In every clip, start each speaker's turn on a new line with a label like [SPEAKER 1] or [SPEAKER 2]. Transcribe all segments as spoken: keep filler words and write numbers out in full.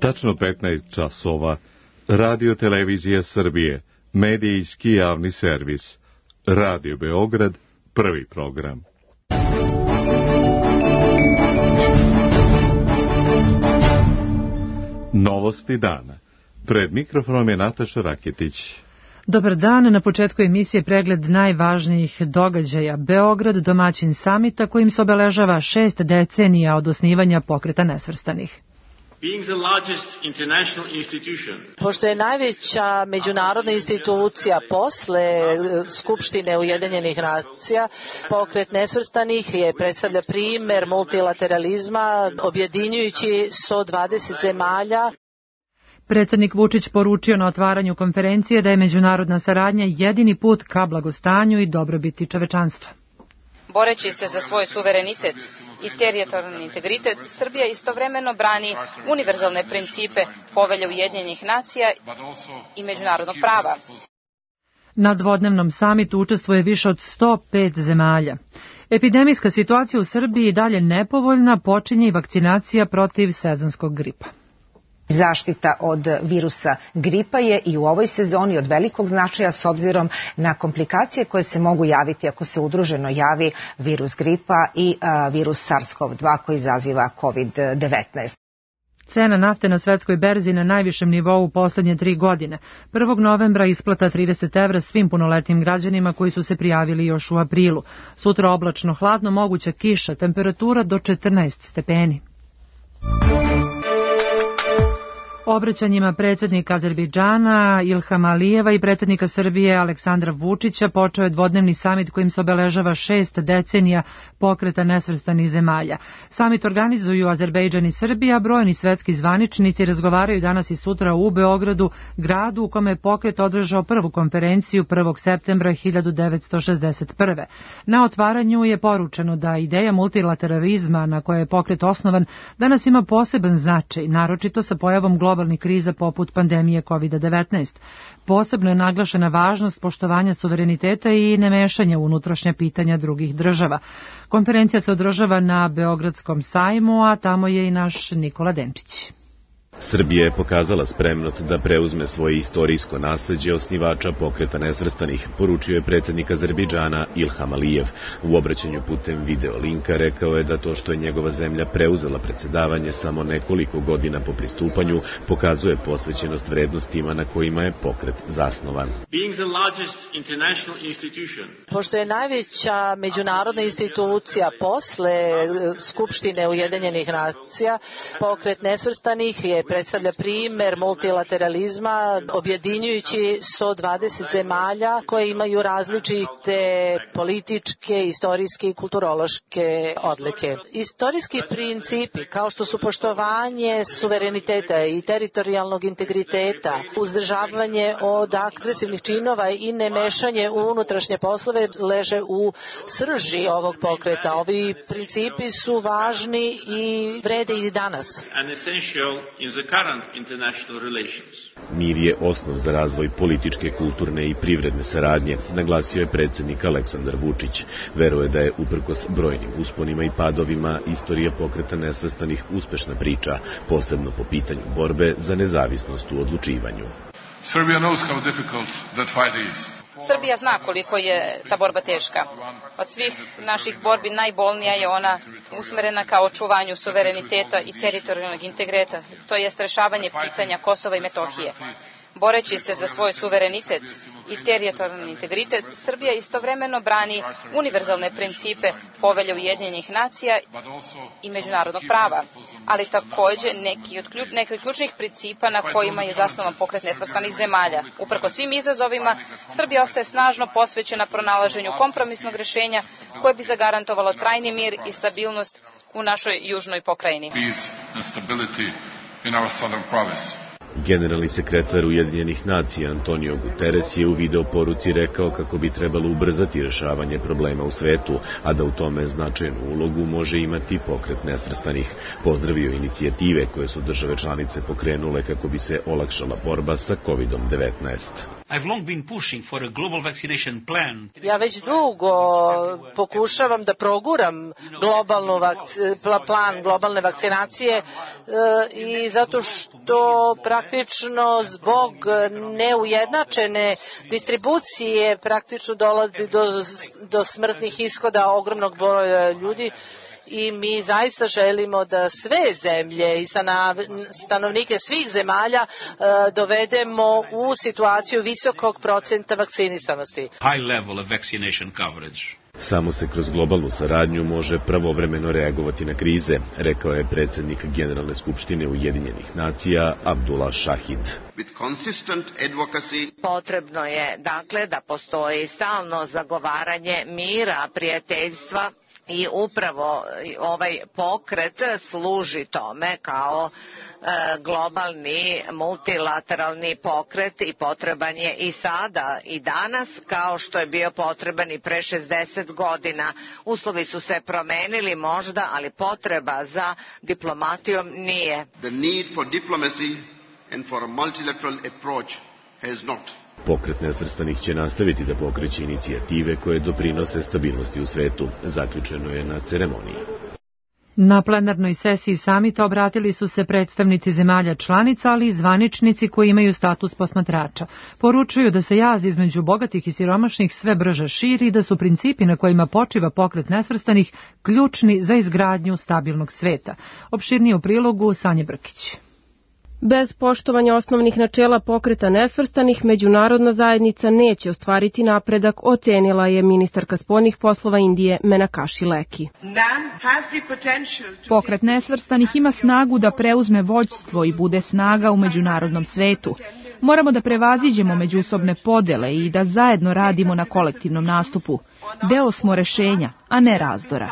[SPEAKER 1] Tačno petnaest časova. Radio Televizija Srbije, medijski javni servis. Radio Beograd, prvi program. Novosti dana. Pred mikrofonom je Nataša Raketić.
[SPEAKER 2] Dobar dan, na početku emisije pregled najvažnijih događaja. Beograd, domaćin samita kojim se obeležava šest decenija od osnivanja Pokreta nesvrstanih.
[SPEAKER 3] Pošto je najveća međunarodna institucija posle Skupštine Ujedinjenih nacija, Pokret nesvrstanih je predstavlja primer multilateralizma, objedinjujući sto dvadeset zemalja.
[SPEAKER 2] Predsjednik Vučić poručio na otvaranju konferencije da je međunarodna saradnja jedini put ka blagostanju i dobrobiti čovečanstva.
[SPEAKER 4] Boreći se za svoj suverenitet i teritorijalni integritet, Srbija istovremeno brani univerzalne principe Povelje Ujedinjenih nacija i međunarodnog prava.
[SPEAKER 2] Na dvodnevnom samitu učestvuje više od sto pet zemalja. Epidemijska situacija u Srbiji dalje nepovoljna, počinje i vakcinacija protiv sezonskog gripa.
[SPEAKER 5] Zaštita od virusa gripa je i u ovoj sezoni od velikog značaja s obzirom na komplikacije koje se mogu javiti ako se udruženo javi virus gripa i a, virus SARS-CoV dva koji izaziva kovid devetnaest.
[SPEAKER 2] Cena nafte na svetskoj berzi na najvišem nivou u poslednje tri godine. prvog novembra isplata trideset evra svim punoletnim građanima koji su se prijavili još u aprilu. Sutra oblačno hladno, moguća kiša, temperatura do četrnaest stepeni. Obraćanjima predsjednika Azerbejdžana Ilhama Alijeva i predsjednika Srbije Aleksandra Vučića počeo je dvodnevni samit kojim se obeležava šest decenija Pokreta nesvrstanih zemalja. Samit organizuju Azerbejdžan i Srbija, brojni svetski zvaničnici razgovaraju danas i sutra u Beogradu, gradu u kome je pokret održao prvu konferenciju prvog septembra hiljadu devetsto šezdeset prve. Na otvaranju je poručeno da ideja multilateralizma na kojoj je pokret osnovan danas ima poseban značaj, naročito sa pojavom globalnog globalnih kriza poput pandemije kovid devetnaest. Posebno je naglašena važnost poštovanja suvereniteta i nemešanja u unutrašnja pitanja drugih država. Konferencija se održava na Beogradskom sajmu, a tamo je i naš Nikola Denčić.
[SPEAKER 6] Srbija je pokazala spremnost da preuzme svoje istorijsko nasleđe osnivača Pokreta nesvrstanih, poručio je predsjednik Azerbejdžana Ilham Alijev. U obraćanju putem video linka rekao je da to što je njegova zemlja preuzela predsjedavanje samo nekoliko godina po pristupanju pokazuje posvećenost vrednostima na kojima je pokret zasnovan.
[SPEAKER 3] Pošto je najveća međunarodna institucija posle Skupštine Ujedinjenih nacija, Pokret nesvrstanih je predstavlja primer multilateralizma, objedinjujući sto dvadeset zemalja koje imaju različite političke, istorijske i kulturološke odlike. Istorijski principi, kao što su poštovanje suvereniteta i teritorijalnog integriteta, uzdržavanje od agresivnih činova i nemešanje u unutrašnje poslove, leže u srži ovog pokreta. Ovi principi su važni i vrede i danas.
[SPEAKER 6] Mir je osnov za razvoj političke, kulturne i privredne saradnje, naglasio je predsjednik Aleksandar Vučić. Veruje da je uprkos brojnim usponima i padovima istorija Pokreta nesvrstanih uspešna priča, posebno po pitanju borbe za nezavisnost u odlučivanju.
[SPEAKER 7] Serbia knows how difficult that fight is.
[SPEAKER 4] Srbija zna koliko je ta borba teška. Od svih naših borbi najbolnija je ona usmerena ka očuvanju suvereniteta i teritorijalnog integriteta, to jest rešavanje pitanja Kosova i Metohije. Boreći se za svoj suverenitet i teritorijalni integritet, Srbija istovremeno brani univerzalne principe Povelje Ujedinjenih nacija i međunarodnog prava, ali takođe neki od, ključ, neki od ključnih principa na kojima je zasnovan Pokret nesvrstanih zemalja. Uprko svim izazovima, Srbija ostaje snažno posvećena pronalaženju kompromisnog rešenja koje bi zagarantovalo trajni mir i stabilnost u našoj južnoj pokrajini.
[SPEAKER 6] Generalni sekretar Ujedinjenih nacija Antonio Guterres je u video poruci rekao kako bi trebalo ubrzati rešavanje problema u svetu, a da u tome značajnu ulogu može imati Pokret nesvrstanih. Pozdravio inicijative koje su države članice pokrenule kako bi se olakšala borba sa kovid devetnaest.
[SPEAKER 3] Ja već dugo pokušavam da proguram globalnu vakc- plan globalne vakcinacije e, i zato što praktično zbog neujednačene distribucije praktično dolazi do, do smrtnih ishoda ogromnog broja ljudi. I mi zaista želimo da sve zemlje i stanovnike svih zemalja e, dovedemo u situaciju visokog procenta vakcinisanosti.
[SPEAKER 6] Samo se kroz globalnu saradnju može pravovremeno reagovati na krize, rekao je predsjednik Generalne skupštine Ujedinjenih nacija Abdullah Shahid.
[SPEAKER 8] Potrebno je dakle da postoji stalno zagovaranje mira, prijateljstva. I upravo ovaj pokret služi tome kao e, globalni multilateralni pokret i potreban je i sada i danas kao što je bio potreban i pre šezdeset godina. Uslovi su se promenili možda, ali potreba za diplomatijom nije.
[SPEAKER 9] The need for diplomacy and for a multilateral approach has not.
[SPEAKER 6] Pokret nesvrstanih će nastaviti da pokreće inicijative koje doprinose stabilnosti u svetu, zaključeno je na ceremoniji.
[SPEAKER 2] Na plenarnoj sesiji samita obratili su se predstavnici zemalja članica, ali i zvaničnici koji imaju status posmatrača. Poručuju da se jaz između bogatih i siromašnih sve brže širi i da su principi na kojima počiva pokret nesvrstanih ključni za izgradnju stabilnog sveta. Opširnije u prilogu Sanje Brkić.
[SPEAKER 10] Bez poštovanja osnovnih načela pokreta nesvrstanih, međunarodna zajednica neće ostvariti napredak, ocenila je ministarka spoljnih poslova Indije Menakaši Leki.
[SPEAKER 11] Pokret nesvrstanih ima snagu da preuzme vođstvo i bude snaga u međunarodnom svetu. Moramo da prevaziđemo međusobne podele i da zajedno radimo na kolektivnom nastupu. Deo smo rešenja, a ne razdora.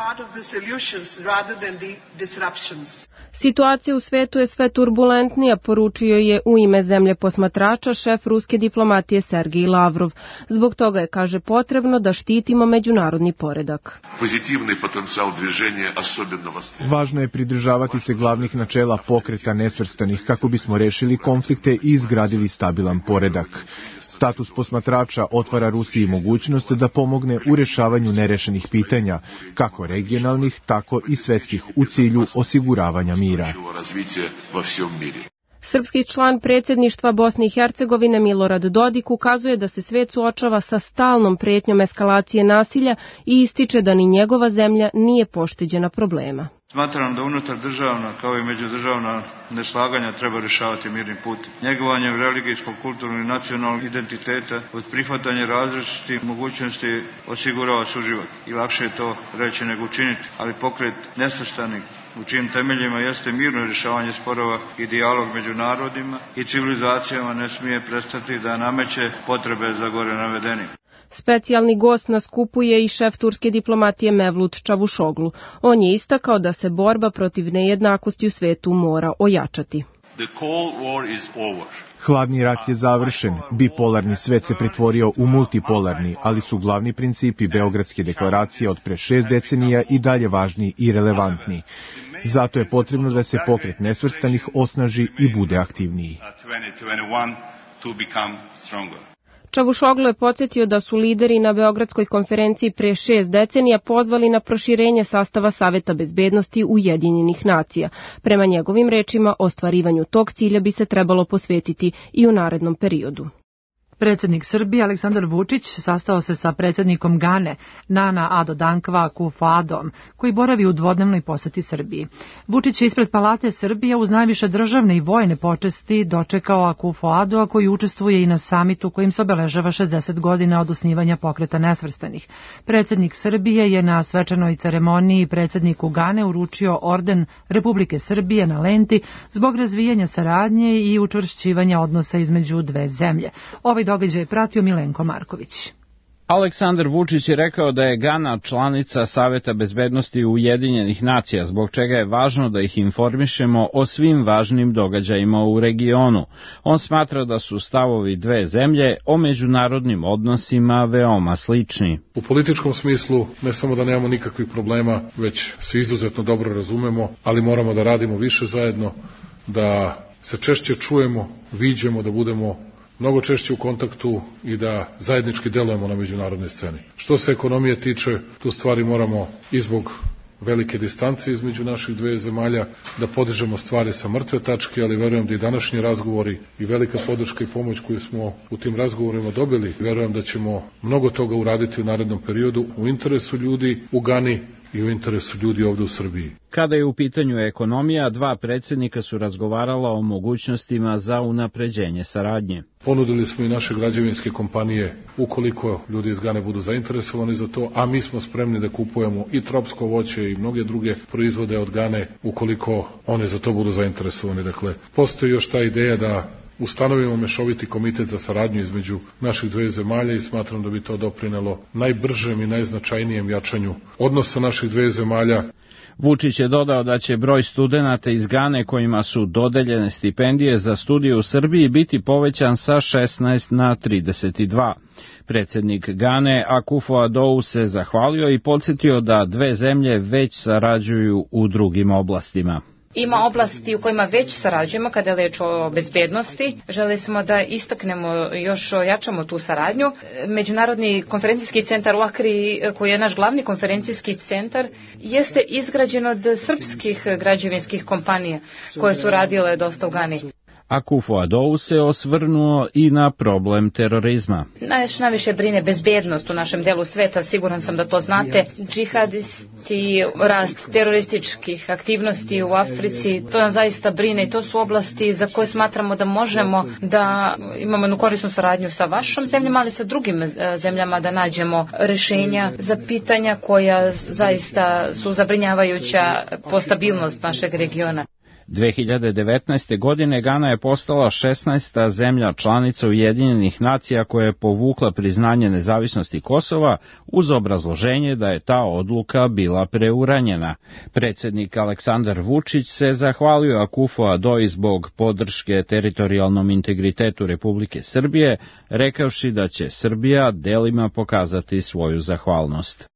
[SPEAKER 10] Situacija u svetu je sve turbulentnija, poručio je u ime zemlje posmatrača šef ruske diplomatije Sergej Lavrov. Zbog toga je, kaže, potrebno da štitimo međunarodni poredak.
[SPEAKER 12] Važno je pridržavati se glavnih načela pokreta nesvrstanih kako bismo rešili konflikte i izgradili stabilan poredak. Status posmatrača otvara Rusiji mogućnost da pomogne u rešavanju nerešenih pitanja, kako regionalnih, tako i svetskih, u cilju osiguravanja mira.
[SPEAKER 10] Srpski član predsjedništva Bosne i Hercegovine Milorad Dodik ukazuje da se svet suočava sa stalnom pretnjom eskalacije nasilja i ističe da ni njegova zemlja nije pošteđena problema.
[SPEAKER 13] Smatram da unutar državna kao i međudržavna neslaganja treba rješavati mirnim putem. Njegovanjem religijskog, kulturnog i nacionalnog identiteta uz prihvatanje različitih mogućnosti osigurava suživot. I lakše je to reći nego učiniti, ali pokret nesvrstanih u čijim temeljima jeste mirno rješavanje sporova i dijalog među narodima i civilizacijama ne smije prestati da nameće potrebe za gore navedenim.
[SPEAKER 10] Specijalni gost na skupu je i šef turske diplomatije Mevlut Čavušoglu. On je istakao da se borba protiv nejednakosti u svetu mora ojačati.
[SPEAKER 12] Hladni rat je završen, bipolarni svet se pretvorio u multipolarni, ali su glavni principi Beogradske deklaracije od pre šest decenija i dalje važni i relevantni. Zato je potrebno da se pokret nesvrstanih osnaži i bude aktivniji.
[SPEAKER 10] Čavušoglu je podsjetio da su lideri na Beogradskoj konferenciji pre šest decenija pozvali na proširenje sastava Saveta bezbednosti Ujedinjenih nacija. Prema njegovim rečima, ostvarivanju tog cilja bi se trebalo posvetiti i u narednom periodu.
[SPEAKER 2] Predsjednik Srbije Aleksandar Vučić sastao se sa predsjednikom Gane Nana Addo Dankwa Akufo-Addom, koji boravi u dvodnevnoj poseti Srbiji. Vučić je ispred Palate Srbije uz najviše državne i vojne počesti dočekao Akufo-Addoa, koji učestvuje i na samitu kojim se obeležava šezdeset godina od osnivanja pokreta nesvrstanih. Predsjednik Srbije je na svečanoj ceremoniji predsjedniku Gane uručio orden Republike Srbije na lenti zbog razvijanja saradnje i učvršćivanja odnosa između dve zemlje. Ovaj događaj je pratio Milenko Marković.
[SPEAKER 14] Aleksandar Vučić je rekao da je Gana članica Saveta bezbednosti Ujedinjenih nacija, zbog čega je važno da ih informišemo o svim važnim događajima u regionu. On smatra da su stavovi dve zemlje o međunarodnim odnosima veoma slični.
[SPEAKER 7] U političkom smislu ne samo da nemamo nikakvih problema, već se izuzetno dobro razumemo, ali moramo da radimo više zajedno, da se češće čujemo, viđemo, da budemo mnogo češće u kontaktu i da zajednički delujemo na međunarodnoj sceni. Što se ekonomije tiče, tu stvari moramo i zbog velike distance između naših dve zemalja, da podižemo stvari sa mrtve tačke, ali verujem da i današnji razgovori i velika podrška i pomoć koju smo u tim razgovorima dobili, verujem da ćemo mnogo toga uraditi u narednom periodu u interesu ljudi u Gani i u interesu ljudi ovde u Srbiji.
[SPEAKER 14] Kada je u pitanju ekonomija, dva predsjednika su razgovarala o mogućnostima za unapređenje saradnje.
[SPEAKER 7] Ponudili smo i naše građevinske kompanije, ukoliko ljudi iz Gane budu zainteresovani za to, a mi smo spremni da kupujemo i tropsko voće i mnoge druge proizvode od Gane, ukoliko oni za to budu zainteresovani. Dakle, postoji još ta ideja da ustanovimo mešoviti komitet za saradnju između naših dve zemalja i smatram da bi to doprinelo najbržem i najznačajnijem jačanju odnosa naših dve zemalja.
[SPEAKER 14] Vučić je dodao da će broj studenata iz Gane kojima su dodeljene stipendije za studije u Srbiji biti povećan sa šesnaest na trideset dva. Predsjednik Gane Akufo-Addo se zahvalio i podsjetio da dve zemlje već sarađuju u drugim oblastima.
[SPEAKER 4] Ima oblasti u kojima već sarađujemo kada je reč o bezbednosti. Želeli smo da istaknemo, još jačamo tu saradnju. Međunarodni konferencijski centar u Akri, koji je naš glavni konferencijski centar, jeste izgrađen od srpskih građevinskih kompanija koje su radile dosta u Gani.
[SPEAKER 14] Akufo-Addo se osvrnuo i na problem terorizma.
[SPEAKER 4] Najviše, najviše brine bezbednost u našem delu sveta, siguran sam da to znate. Džihadisti, rast terorističkih aktivnosti u Africi, to nas zaista brine i to su oblasti za koje smatramo da možemo da imamo jednu korisnu saradnju sa vašom zemljama, ali sa drugim zemljama da nađemo rešenja za pitanja koja zaista su zabrinjavajuća po stabilnost našeg regiona.
[SPEAKER 14] dve hiljade devetnaeste. godine Gana je postala šesnaesta zemlja članica Ujedinjenih nacija koja je povukla priznanje nezavisnosti Kosova uz obrazloženje da je ta odluka bila preuranjena. Predsjednik Aleksandar Vučić se zahvalio Akufo-Addo zbog podrške teritorijalnom integritetu Republike Srbije, rekavši da će Srbija delima pokazati svoju zahvalnost.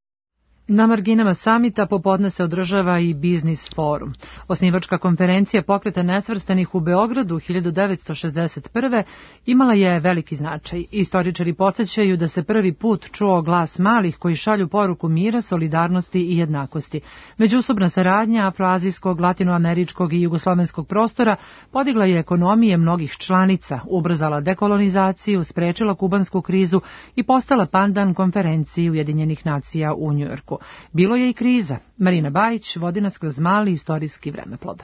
[SPEAKER 2] Na marginama samita popodne se održava i Biznis forum. Osnivačka konferencija Pokreta nesvrstanih u Beogradu hiljadu devetsto šezdeset prve. imala je veliki značaj. Istoričari podsjećaju da se prvi put čuo glas malih koji šalju poruku mira, solidarnosti i jednakosti. Međusobna saradnja afroazijskog, latinoameričkog i jugoslovenskog prostora podigla je ekonomije mnogih članica, ubrzala dekolonizaciju, sprečila kubansku krizu i postala pandan konferenciji Ujedinjenih nacija u Njujorku. Bilo je i kriza. Marina Bajić vodi nas kroz mali istorijski vremeplov.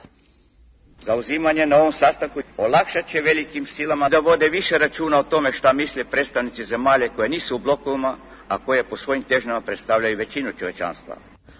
[SPEAKER 15] Zauzimanje na ovom sastanku olakšat će velikim silama da vode više računa o tome šta misle predstavnici zemalja koje nisu u blokovima, a koje po svojim težnjama predstavljaju većinu čovečanstva.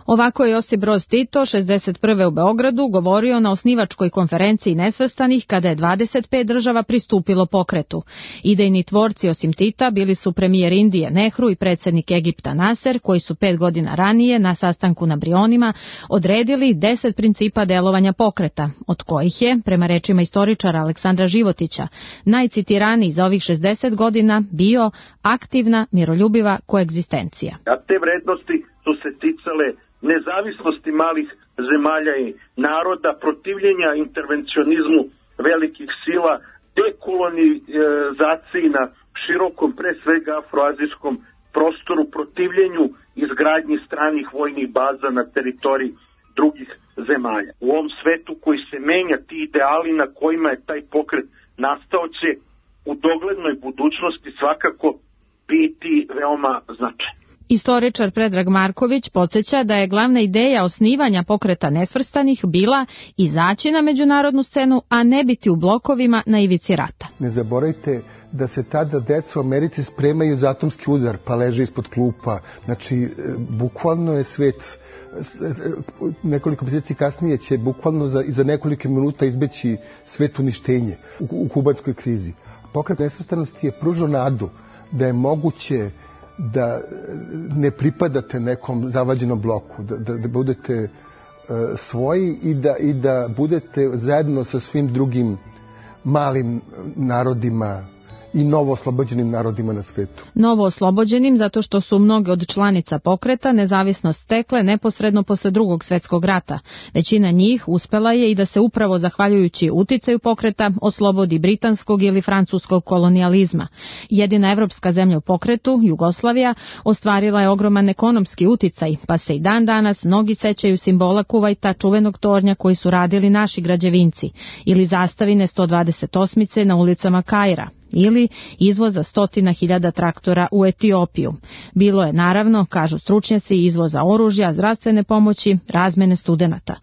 [SPEAKER 10] Ovako je Josip Broz Tito šezdeset prve. u Beogradu govorio na osnivačkoj konferenciji nesvrstanih kada je dvadeset pet država pristupilo pokretu. Idejni tvorci osim Tita bili su premijer Indije Nehru i predsjednik Egipta Naser, koji su pet godina ranije na sastanku na Brionima odredili deset principa delovanja pokreta, od kojih je, prema rečima istoričara Aleksandra Životića, najcitiraniji za ovih šezdeset godina bio aktivna, miroljubiva koegzistencija.
[SPEAKER 16] A te vrednosti su se ticale nezavisnosti malih zemalja i naroda, protivljenja intervencionizmu velikih sila, dekolonizaciji na širokom, pre svega afroazijskom prostoru, protivljenju izgradnji stranih vojnih baza na teritoriji drugih zemalja. U ovom svetu koji se menja, ti ideali na kojima je taj pokret nastao će u doglednoj budućnosti svakako biti veoma značajni.
[SPEAKER 10] Istoričar Predrag Marković podsjeća da je glavna ideja osnivanja Pokreta nesvrstanih bila izaći na međunarodnu scenu, a ne biti u blokovima na ivici rata.
[SPEAKER 17] Ne zaboravite da se tada deca u Americi spremaju za atomski udar, pa leže ispod klupa. Znači, bukvalno je svet, nekoliko mjeseci kasnije će bukvalno za, za nekoliko minuta izbeći svet uništenje u, u kubanskoj krizi. Pokret nesvrstanosti je pružao nadu da je moguće da ne pripadate nekom zavađenom bloku, da, da, da budete uh, svoji i da, i da budete zajedno sa svim drugim malim narodima i novo oslobođenim narodima na svetu.
[SPEAKER 18] Novo oslobođenim zato što su mnoge od članica pokreta nezavisnost stekle neposredno posle drugog svetskog rata. Većina njih uspela je i da se upravo zahvaljujući uticaju pokreta oslobodi britanskog ili francuskog kolonijalizma. Jedina evropska zemlja u pokretu, Jugoslavija, ostvarila je ogroman ekonomski uticaj, pa se i dan danas mnogi sećaju simbola Kuvajta, čuvenog tornja koji su radili naši građevinci, ili zastavine sto dvadeset osmice na ulicama Kaira, ili izvoza stotina hiljada traktora u Etiopiju. Bilo je, naravno, kažu stručnjaci, izvoza oružja, zdravstvene pomoći, razmene studenata.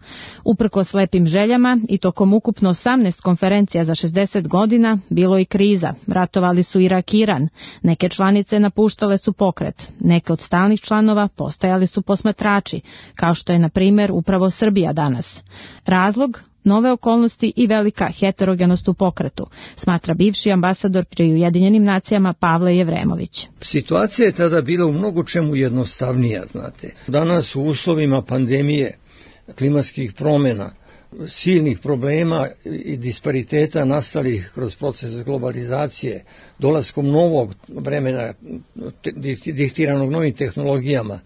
[SPEAKER 18] Uprkos lepim željama i tokom ukupno osamnaest konferencija za šezdeset godina bilo i kriza. Ratovali su Irak i Iran. Neke članice napuštale su pokret. Neke od stalnih članova postajali su posmatrači, kao što je, na primjer, upravo Srbija danas. Razlog? Nove okolnosti i velika heterogenost u pokretu, smatra bivši ambasador pri Ujedinjenim nacijama Pavle Jevremović.
[SPEAKER 19] Situacija je tada bila u mnogo čemu jednostavnija, znate. Danas u uslovima pandemije, klimatskih promjena, silnih problema i dispariteta nastalih kroz proces globalizacije, dolaskom novog vremena diktiranog novim tehnologijama,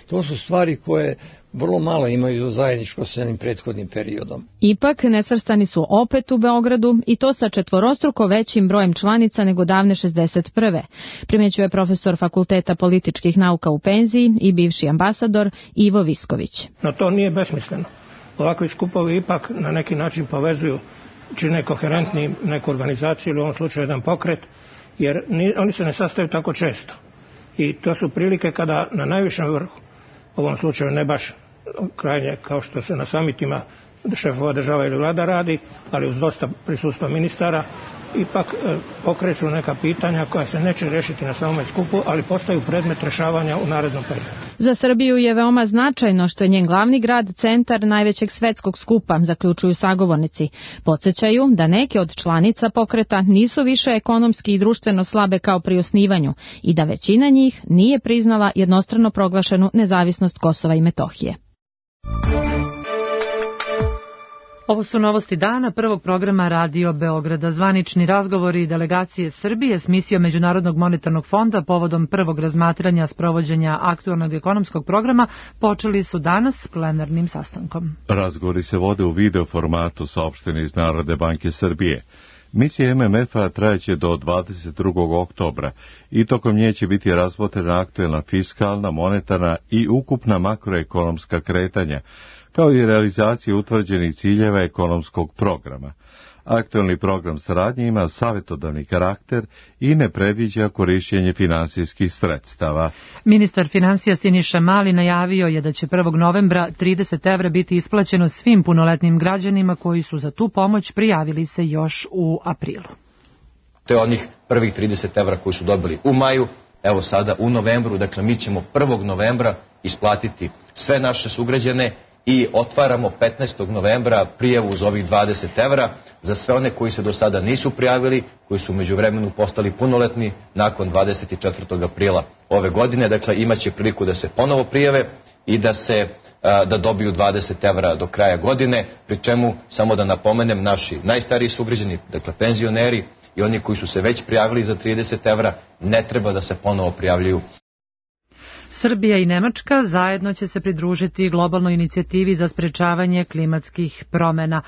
[SPEAKER 19] to su stvari koje vrlo malo imaju zajedničko s jednim prethodnim periodom.
[SPEAKER 18] Ipak, nesvrstani su opet u Beogradu i to sa četvorostruko većim brojem članica nego davne šezdeset prve. Primećuje profesor Fakulteta političkih nauka u penziji i bivši ambasador Ivo Visković.
[SPEAKER 20] No to nije besmisleno. Ovakvi skupovi ipak na neki način povezuju, čine koherentni neku organizaciju ili u ovom slučaju jedan pokret, jer ni, oni se ne sastaju tako često. I to su prilike kada na najvišem vrhu, u ovom slučaju ne baš krajnje kao što se na samitima šefova država ili vlada radi, ali uz dosta prisustva ministara, ipak e, pokreću neka pitanja koja se neće rešiti na samom skupu, ali postaju predmet rešavanja u narednom periodu.
[SPEAKER 18] Za Srbiju je veoma značajno što je njen glavni grad centar najvećeg svetskog skupa, zaključuju sagovornici. Podsjećaju da neke od članica pokreta nisu više ekonomski i društveno slabe kao pri osnivanju i da većina njih nije priznala jednostrano proglašenu nezavisnost Kosova i Metohije.
[SPEAKER 2] Ovo su novosti dana prvog programa Radio Beograda. Zvanični razgovori delegacije Srbije s misijom Međunarodnog monetarnog fonda povodom prvog razmatranja sprovođenja aktualnog ekonomskog programa počeli su danas s plenarnim sastankom.
[SPEAKER 1] Razgovori se vode u video formatu, saopšteni iz Narodne banke Srbije. Misija M M F-a trajeće do dvadeset drugog oktobra i tokom nje će biti razmotrena aktuelna fiskalna, monetarna i ukupna makroekonomska kretanja, kao i realizacija utvrđenih ciljeva ekonomskog programa. Aktuelni program saradnje ima savjetodavni karakter i ne predviđa korišćenje finansijskih sredstava.
[SPEAKER 2] Ministar finansija Siniša Mali najavio je da će prvog novembra trideset evra biti isplaćeno svim punoletnim građanima koji su za tu pomoć prijavili se još u aprilu.
[SPEAKER 21] To je onih prvih trideset evra koji su dobili u maju, evo sada u novembru, dakle mi ćemo prvog novembra isplatiti sve naše sugrađane i otvaramo petnaestog novembra prijavu uz ovih dvadeset evra za sve one koji se do sada nisu prijavili, koji su u međuvremenu postali punoletni nakon dvadeset četvrtog aprila ove godine. Dakle, imaće priliku da se ponovo prijave i da se da dobiju dvadeset evra do kraja godine, pri čemu, samo da napomenem, naši najstariji sugrađani, dakle penzioneri i oni koji su se već prijavili za trideset evra, ne treba da se ponovo prijavljuju.
[SPEAKER 2] Srbija i Nemačka zajedno će se pridružiti globalnoj inicijativi za sprečavanje klimatskih promjena.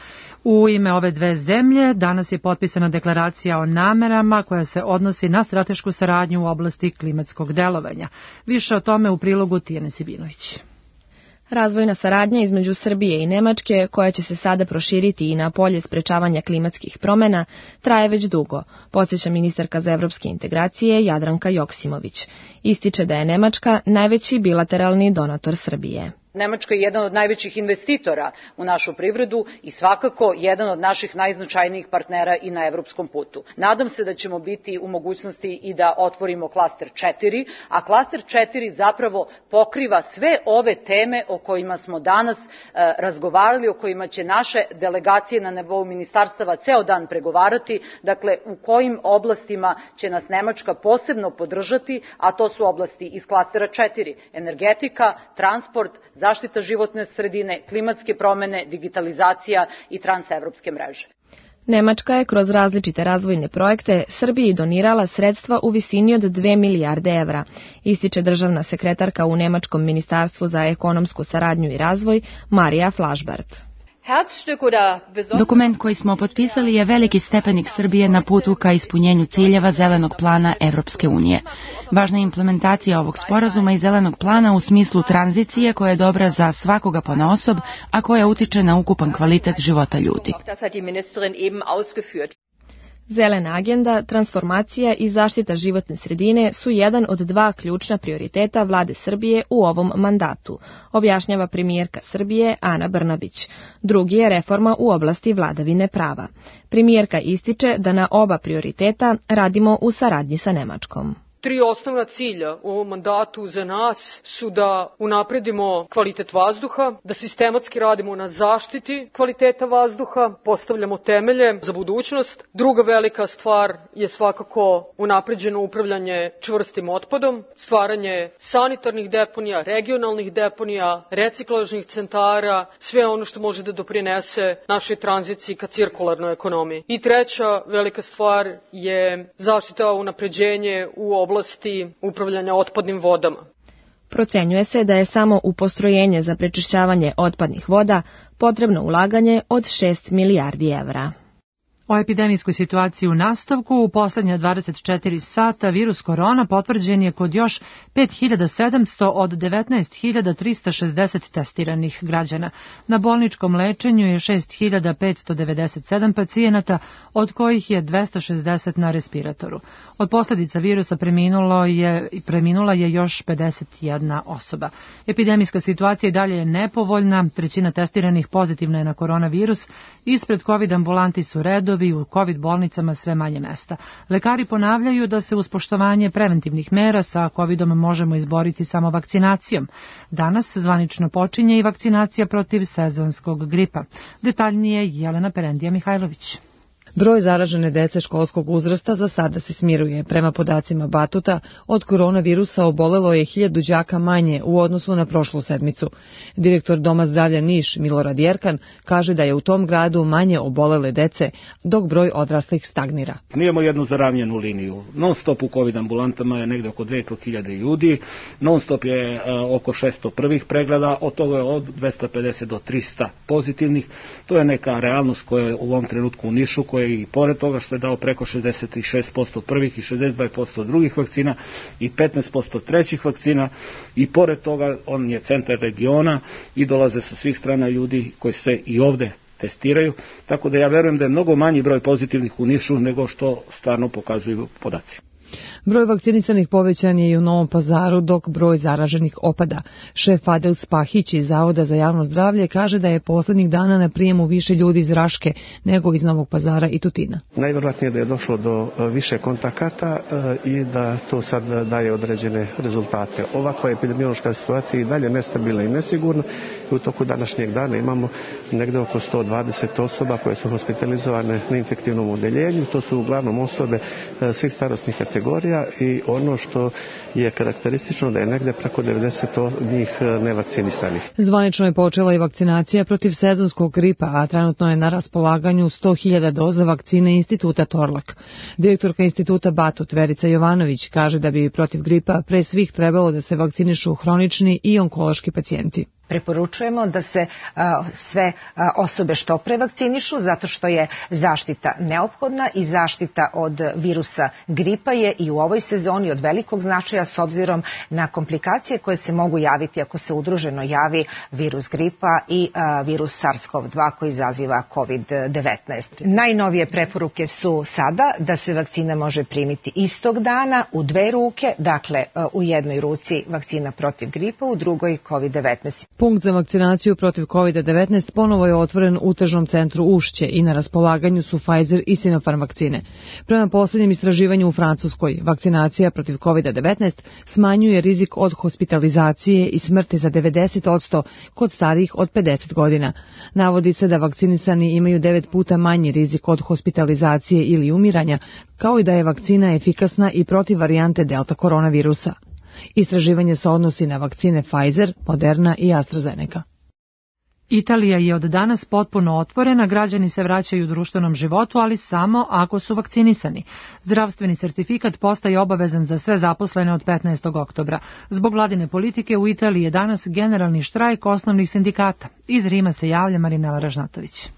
[SPEAKER 2] U ime ove dve zemlje danas je potpisana deklaracija o namerama koja se odnosi na stratešku saradnju u oblasti klimatskog delovanja. Više o tome u prilogu Tijane Sibinović.
[SPEAKER 10] Razvojna saradnja između Srbije i Nemačke, koja će se sada proširiti i na polje sprečavanja klimatskih promjena, traje već dugo, podsjeća ministarka za evropske integracije Jadranka Joksimović. Ističe da je Nemačka najveći bilateralni donator Srbije.
[SPEAKER 22] Nemačka je jedan od najvećih investitora u našu privredu i svakako jedan od naših najznačajnijih partnera i na evropskom putu. Nadam se da ćemo biti u mogućnosti i da otvorimo klaster četiri, a klaster četiri zapravo pokriva sve ove teme o kojima smo danas e, razgovarali, o kojima će naše delegacije na nivou ministarstava ceo dan pregovarati, dakle u kojim oblastima će nas Nemačka posebno podržati, a to su oblasti iz klastera četiri, energetika, transport, zaštita životne sredine, klimatske promjene, digitalizacija i transevropske mreže.
[SPEAKER 10] Nemačka je kroz različite razvojne projekte Srbiji donirala sredstva u visini od dve milijarde evra, ističe državna sekretarka u Nemačkom ministarstvu za ekonomsku saradnju i razvoj Marija Flašbart.
[SPEAKER 3] Dokument koji smo potpisali je veliki stepenik Srbije na putu ka ispunjenju ciljeva Zelenog plana Evropske unije. Važna je implementacija ovog sporazuma i Zelenog plana u smislu tranzicije koja je dobra za svakoga ponaosob, a koja utiče na ukupan kvalitet života ljudi.
[SPEAKER 10] Zelena agenda, transformacija i zaštita životne sredine su jedan od dva ključna prioriteta vlade Srbije u ovom mandatu, objašnjava premijerka Srbije Ana Brnabić. Drugi je reforma u oblasti vladavine prava. Premijerka ističe da na oba prioriteta radimo u saradnji sa Nemačkom.
[SPEAKER 5] Tri osnovna cilja u ovom mandatu za nas su da unapredimo kvalitet vazduha, da sistematski radimo na zaštiti kvaliteta vazduha, postavljamo temelje za budućnost. Druga velika stvar je svakako unapređeno upravljanje čvrstim otpadom, stvaranje sanitarnih deponija, regionalnih deponija, reciklažnih centara, sve ono što može da doprinese našoj tranziciji ka cirkularnoj ekonomiji. I treća velika stvar je zaštita unapređenje u oblasti oblasti upravljanja otpadnim vodama.
[SPEAKER 10] Procenjuje se da je samo u postrojenje za prečišćavanje otpadnih voda potrebno ulaganje od šest milijardi evra.
[SPEAKER 2] O epidemijskoj situaciji u nastavku u poslednja dvadeset četiri sata virus korona potvrđen je kod još pet hiljada sedamsto od devetnaest hiljada trista šezdeset testiranih građana. Na bolničkom lečenju je šest hiljada petsto devedeset sedam pacijenata, od kojih je dvesta šezdeset na respiratoru. Od posljedica virusa preminulo je, preminula je još pedeset jedna osoba. Epidemijska situacija i dalje je nepovoljna, trećina testiranih pozitivna je na koronavirus, ispred COVID ambulanti su redovi, u COVID bolnicama sve manje mesta. Lekari ponavljaju da se uz poštovanje preventivnih mera sa covidom možemo izboriti samo vakcinacijom. Danas zvanično počinje i vakcinacija protiv sezonskog gripa. Detaljnije Jelena Perendija Mihajlović.
[SPEAKER 23] Broj zaražene dece školskog uzrasta za sada se smiruje. Prema podacima Batuta, od koronavirusa obolelo je hiljadu đaka manje u odnosu na prošlu sedmicu. Direktor Doma zdravlja Niš, Milorad Jerkan, kaže da je u tom gradu manje obolele dece, dok broj odraslih stagnira.
[SPEAKER 24] Mi imamo jednu zaravnjenu liniju. Non stop u COVID ambulantama je negde oko dve hiljade ljudi, non stop je uh, oko šesto prvih pregleda, od toga je od dvesta pedeset do trista pozitivnih. To je neka realnost koja je u ovom trenutku u Nišu, koja i pored toga što je dao preko šezdeset šest posto prvih i šezdeset dva posto drugih vakcina i petnaest posto trećih vakcina, i pored toga on je centar regiona i dolaze sa svih strana ljudi koji se i ovde testiraju, tako da ja verujem da je mnogo manji broj pozitivnih u Nišu nego što stvarno pokazuju podaci.
[SPEAKER 23] Broj vakcinisanih povećan je i u Novom Pazaru, dok broj zaraženih opada. Šef Adel Spahić iz Zavoda za javno zdravlje kaže da je poslednjih dana na prijemu više ljudi iz Raške nego iz Novog Pazara i Tutina.
[SPEAKER 25] Najvjerojatnije da je došlo do više kontakata i da to sad daje određene rezultate. Ovakva epidemiološka situacija i dalje nestabilna i nesigurna i u toku današnjeg dana imamo negde oko sto dvadeset osoba koje su hospitalizovane na infektivnom odeljenju. To su uglavnom osobe svih starosnih kategorija i ono što je karakteristično da je negde preko devedeset njih nevakcinisanih.
[SPEAKER 23] Zvanično je počela i vakcinacija protiv sezonskog gripa, a trenutno je na raspolaganju sto hiljada doza vakcine Instituta Torlak. Direktorka Instituta Batut Verica Jovanović kaže da bi protiv gripa pre svih trebalo da se vakcinišu hronični i onkološki pacijenti.
[SPEAKER 26] Preporučujemo da se a, sve a, osobe što pre vakcinišu, zato što je zaštita neophodna i zaštita od virusa gripa je i u ovoj sezoni od velikog značaja s obzirom na komplikacije koje se mogu javiti ako se udruženo javi virus gripa i a, virus SARS-CoV dva koji izaziva COVID devetnaest. Najnovije preporuke su sada da se vakcina može primiti istog dana u dve ruke, dakle a, u jednoj ruci vakcina protiv gripa, u drugoj COVID devetnaest.
[SPEAKER 23] Punkt za vakcinaciju protiv COVID devetnaest ponovo je otvoren u tržnom centru Ušće i na raspolaganju su Pfizer i Sinopharm vakcine. Prema posljednjem istraživanju u Francuskoj, vakcinacija protiv COVID devetnaest smanjuje rizik od hospitalizacije i smrti za devedeset posto kod starijih od pedeset godina. Navodi se da vakcinisani imaju devet puta manji rizik od hospitalizacije ili umiranja, kao i da je vakcina efikasna i protiv varijante delta koronavirusa. Istraživanje se odnosi na vakcine Pfizer, Moderna i AstraZeneca.
[SPEAKER 2] Italija je od danas potpuno otvorena, građani se vraćaju u društvenom životu, ali samo ako su vakcinisani. Zdravstveni sertifikat postaje obavezan za sve zaposlene od petnaestog oktobra. Zbog vladine politike u Italiji je danas generalni štrajk osnovnih sindikata. Iz Rima se javlja Marinela Ražnatović.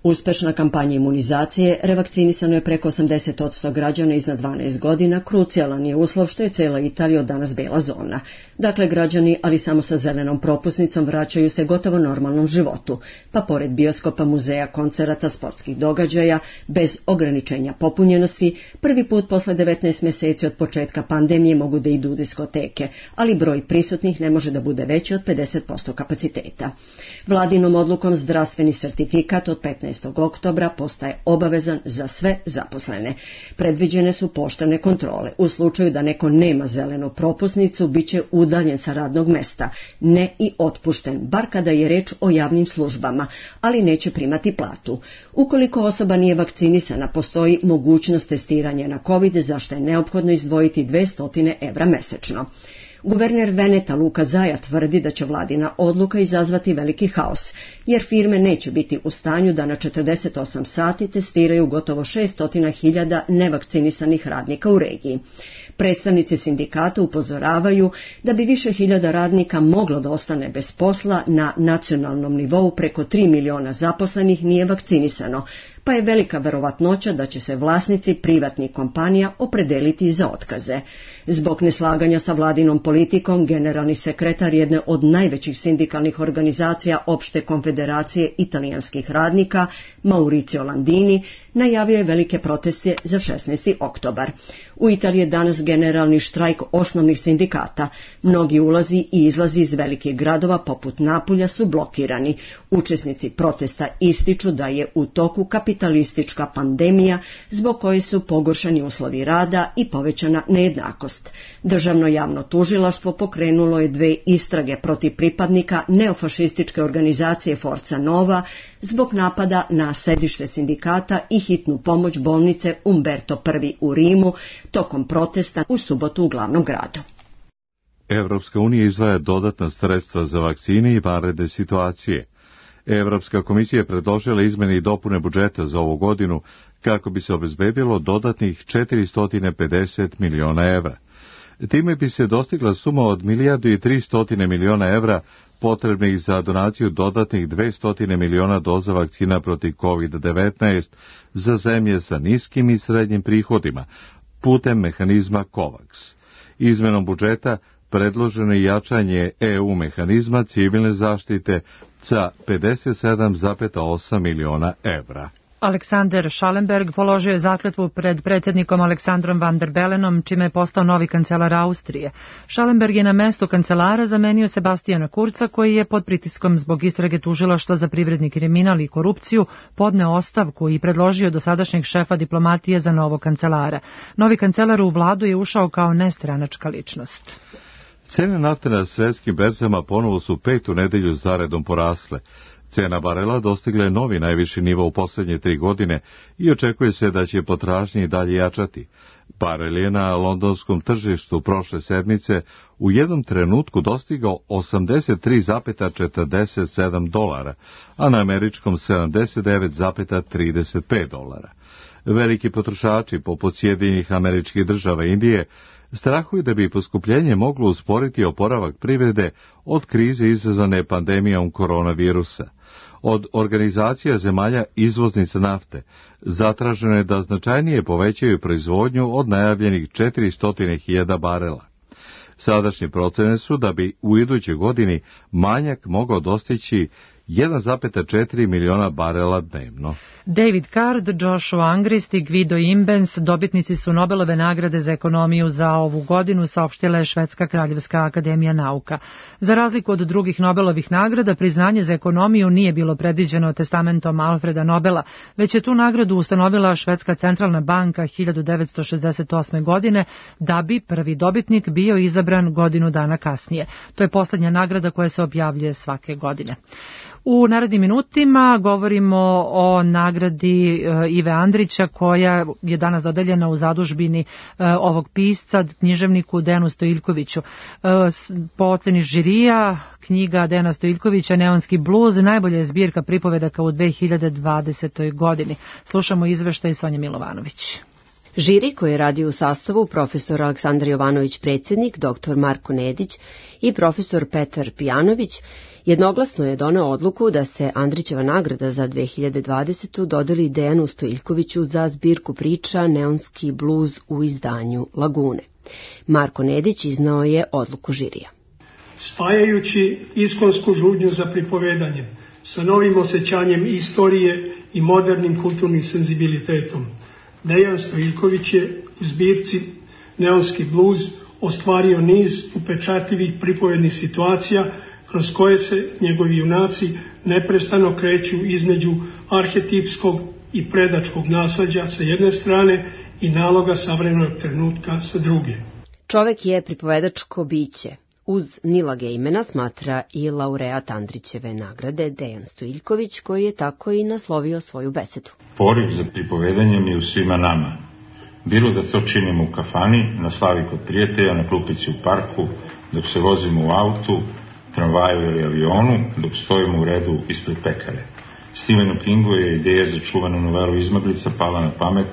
[SPEAKER 6] Uspešna kampanja imunizacije, revakcinisano je preko osamdeset posto građana iznad dvanaest godina, krucijalan je uslov što je cela Italija od danas bela zona. Dakle, građani, ali samo sa zelenom propusnicom, vraćaju se gotovo normalnom životu, pa pored bioskopa, muzeja, koncerata, sportskih događaja, bez ograničenja popunjenosti, prvi put posle devetnaest meseci od početka pandemije mogu da idu u diskoteke, ali broj prisutnih ne može da bude veći od pedeset posto kapaciteta. Vladinom odlukom zdravstveni sertifikat od petnaestog oktobra postaje obavezan za sve zaposlene. Predviđene su poštene kontrole. U slučaju da neko nema zelenu propusnicu, bit će udaljen sa radnog mesta, ne i otpušten, bar kada je reč o javnim službama, ali neće primati platu. Ukoliko osoba nije vakcinisana, postoji mogućnost testiranja na COVID, za što je neophodno izdvojiti dvesta evra mesečno. Guverner Veneta Luka Zaja tvrdi da će vladina odluka izazvati veliki haos, jer firme neće biti u stanju da na četrdeset osam sati testiraju gotovo šesto hiljada nevakcinisanih radnika u regiji. Predstavnici sindikata upozoravaju da bi više hiljada radnika moglo da ostane bez posla, na nacionalnom nivou preko tri miliona zaposlenih nije vakcinisano, pa je velika verovatnoća da će se vlasnici privatnih kompanija opredeliti za otkaze. Zbog neslaganja sa vladinom politikom, generalni sekretar jedne od najvećih sindikalnih organizacija Opšte konfederacije italijanskih radnika, Maurizio Landini, najavio je velike proteste za šesnaesti oktobar. U Italiji je danas generalni štrajk osnovnih sindikata. Mnogi ulazi i izlazi iz velikih gradova poput Napulja su blokirani. Učesnici protesta ističu da je u toku kapitalistička pandemija zbog koje su pogoršani uslovi rada i povećana nejednakost. Državno javno tužilaštvo pokrenulo je dve istrage protiv pripadnika neofašističke organizacije Forza Nova zbog napada na sedište sindikata i hitnu pomoć bolnice Umberto prvi u Rimu tokom protesta u subotu u glavnom gradu.
[SPEAKER 1] Evropska unija izdvaja dodatna sredstva za vakcine i vanredne situacije. Evropska komisija je predložila izmene i dopune budžeta za ovu godinu kako bi se obezbedilo dodatnih četiristo pedeset miliona evra. Time bi se dostigla suma od milijardu i tristo miliona evra potrebnih za donaciju dodatnih dvesta miliona doza vakcina protiv kovid devetnaest za zemlje sa niskim i srednjim prihodima putem mehanizma COVAX. Izmenom budžeta predloženo je jačanje E U mehanizma civilne zaštite sa pedeset sedam zarez osam miliona evra.
[SPEAKER 2] Aleksander Schallenberg položio je zakletvu pred predsjednikom Aleksandrom Van der Belenom, čime je postao novi kancelar Austrije. Schallenberg je na mesto kancelara zamenio Sebastijana Kurca, koji je pod pritiskom zbog istrage tužilaštva za privredni kriminal i korupciju podneo ostavku i predložio dosadašnjeg šefa diplomatije za novog kancelara. Novi kancelar u vladu je ušao kao nestranačka ličnost.
[SPEAKER 1] Cene nafte na svetskim berzama ponovo su petu nedelju zaredom porasle. Cena barela dostigla je novi najviši nivo u posljednje tri godine i očekuje se da će potražnje i dalje jačati. Barel je na londonskom tržištu prošle sedmice u jednom trenutku dostigao osamdeset tri zarez četrdeset sedam dolara, a na američkom sedamdeset devet zarez trideset pet dolara. Veliki potrošači, poput Sjedinjenih Američkih Država i Indije, strahuju da bi poskupljenje moglo usporiti oporavak privrede od krize izazvane pandemijom koronavirusa. Od organizacija zemalja izvoznica nafte zatraženo je da značajnije povećaju proizvodnju od najavljenih četiristo hiljada barela. Sadašnje procene su da bi u idućoj godini manjak mogao dostići jedan zarez četiri miliona barela dnevno.
[SPEAKER 2] David Card, Joshua Angrist i Guido Imbens dobitnici su Nobelove nagrade za ekonomiju za ovu godinu, saopštila je Švedska kraljevska akademija nauka. Za razliku od drugih Nobelovih nagrada, priznanje za ekonomiju nije bilo predviđeno testamentom Alfreda Nobela, već je tu nagradu ustanovila Švedska centralna banka hiljadu devetsto šezdeset osme. godine, da bi prvi dobitnik bio izabran godinu dana kasnije. To je posljednja nagrada koja se objavljuje svake godine. U narednim minutima govorimo o nagradi Ive Andrića koja je danas dodeljena u zadužbini ovog pisca, književniku Dejanu Stojiljkoviću. Po oceni žirija, knjiga Dejana Stojiljkovića Neonski bluz najbolja je zbirka pripovedaka u dve hiljade dvadesetoj godini. Slušamo izveštaj Sonje Milovanović.
[SPEAKER 7] Žiri koji je radio u sastavu profesor Aleksandar Jovanović predsjednik, doktor Marko Nedić i profesor Petar Pijanović jednoglasno je doneo odluku da se Andrićeva nagrada za dve hiljade dvadesetu dodeli Dejanu Stojiljkoviću za zbirku priča Neonski bluz u izdanju Lagune. Marko Nedić iznao je odluku žirija.
[SPEAKER 8] Spajajući iskonsku žudnju za pripovedanjem sa novim osjećanjem istorije i modernim kulturnim senzibilitetom, Dejan Stojiljković je u zbirci Neonski bluz ostvario niz upečatljivih pripovednih situacija kroz koje se njegovi junaci neprestano kreću između arhetipskog i predačkog naslađa sa jedne strane i naloga savremenog trenutka sa druge.
[SPEAKER 7] Čovek je pripovedačko biće. Uz Nila Gejmena smatra i laureat Andrićeve nagrade Dejan Stojiljković, koji je tako i naslovio svoju besedu.
[SPEAKER 9] Poriv za pripovedanjem je u svima nama. Bilo da to činimo u kafani, na slavi kod prijatelja, na klupici u parku, dok se vozimo u autu, tramvaju ili avionu, dok stojimo u redu ispred pekare. Stephenu Kingu je ideja za čuvanu novelu Izmaglica pala na pamet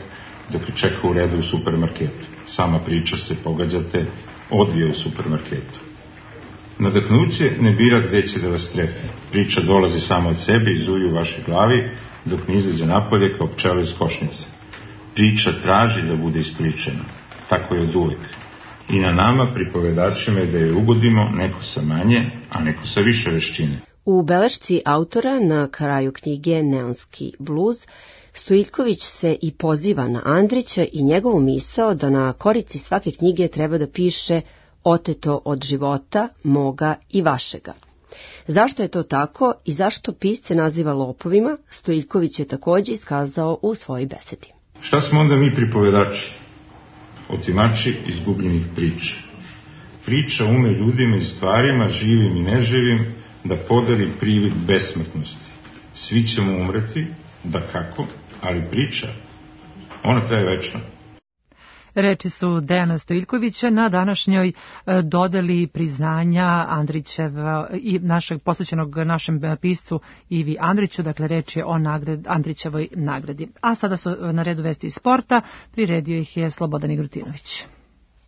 [SPEAKER 9] dok je čekao u redu u supermarketu. Sama priča se, pogađate, odvija u supermarketu. Nadahnuće ne bira gde će da vas trefi. Priča dolazi samo od sebe i zuji u vašoj glavi dok ne izađe napolje kao pčela iz košnice. Priča traži da bude ispričana. Tako je od uvek. I na nama, pripovedačima, je da je ugodimo, neko sa manje, a neko sa više vešćine.
[SPEAKER 7] U belešci autora na kraju knjige Neonski bluz, Stojiljković se i poziva na Andrića i njegovu misao da na korici svake knjige treba da piše oteto od života, moga i vašega. Zašto je to tako i zašto pisce naziva lopovima, Stojiljković je također iskazao u svojoj besedi.
[SPEAKER 9] Šta smo onda mi pripovedači? Otimači izgubljenih priča. Priča ume ljudima i stvarima, živim i neživim, da podari privid besmrtnosti. Svi ćemo umreti, da kako, ali priča, ona traje večno.
[SPEAKER 2] Reči su Dejana Stojiljkovića na današnjoj dodeli priznanja Andrićeva i našeg posvećenog našem piscu Ivi Andriću, dakle reč je o nagrad, Andrićevoj nagradi. A sada su na redu vesti iz sporta, priredio ih je Slobodan Igrutinović.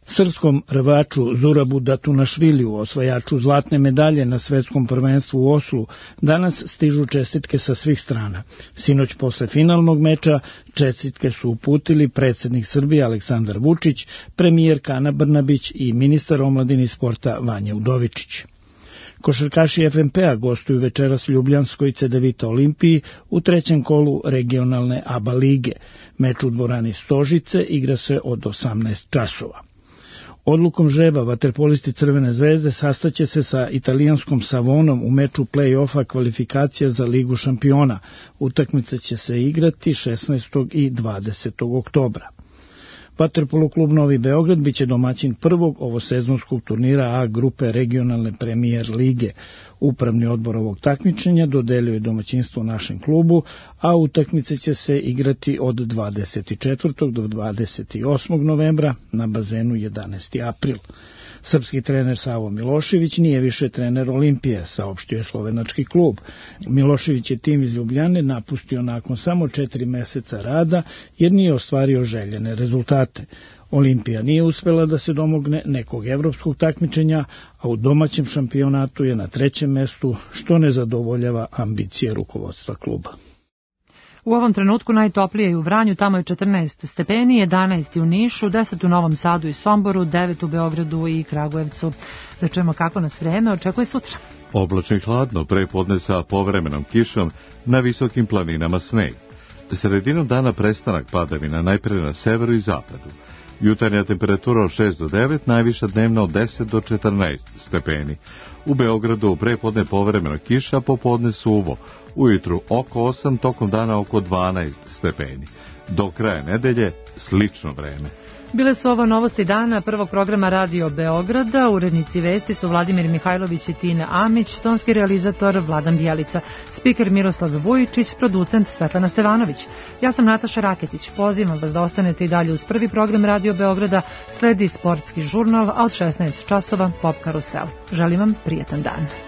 [SPEAKER 11] Srpskom rvaču Zurabu Datunašviliju, osvajaču zlatne medalje na svetskom prvenstvu u Oslu, danas stižu čestitke sa svih strana. Sinoć posle finalnog meča čestitke su uputili predsjednik Srbije Aleksandar Vučić, premijerka Ana Brnabić i ministar omladine i sporta Vanja Udovičić. Košarkaši F M P-a gostuju večeras Ljubljanskoj Cedevita Olimpiji u trećem kolu regionalne A B A lige. Meč u dvorani Stožice igra se od osamnaest časova. Odlukom žreba vaterpolisti Crvene zvezde sastaće se sa italijanskom Savonom u meču play-offa kvalifikacija za Ligu šampiona. Utakmica će se igrati šesnaestog i dvadesetog oktobra. Vaterpolo klub Novi Beograd biće domaćin prvog ovosezonskog turnira A grupe regionalne premijer lige. Upravni odbor ovog takmičenja dodelio je domaćinstvo našem klubu, a utakmice će se igrati od dvadeset četvrtog do dvadeset osmog novembra na bazenu jedanaesti april. Srpski trener Savo Milošević nije više trener Olimpije, saopštio je slovenački klub. Milošević je tim iz Ljubljane napustio nakon samo četiri meseca rada jer nije ostvario željene rezultate. Olimpija nije uspela da se domogne nekog evropskog takmičenja, a u domaćem šampionatu je na trećem mestu, što ne zadovoljava ambicije rukovodstva kluba.
[SPEAKER 2] U ovom trenutku najtoplije je u Vranju, tamo je četrnaest stepeni, jedanaest u Nišu, deset u Novom Sadu i Somboru, devet u Beogradu i Kragujevcu. Da čujemo kako nas vreme očekuje sutra.
[SPEAKER 1] Oblačno i hladno, prepodne sa povremenom kišom, na visokim planinama sneg. Sredinom dana prestanak padavina najpre na severu i zapadu. Jutarnja temperatura od šest do devet, najviša dnevna od deset do četrnaest stepeni. U Beogradu prepodne povremeno kiša, popodne suvo. Ujutru oko osam, tokom dana oko dvanaest stepeni. Do kraja nedelje slično vreme.
[SPEAKER 2] Bile su ovo novosti dana prvog programa Radio Beograda. Urednici vesti su Vladimir Mihajlović i Tina Amić, tonski realizator Vladan Bjelica, spiker Miroslav Vujičić, producent Svetlana Stevanović. Ja sam Nataša Raketić. Pozivam vas da ostanete i dalje uz prvi program Radio Beograda. Sledi sportski žurnal, a od šesnaest časova Pop Karusel. Želim vam prijetan dan.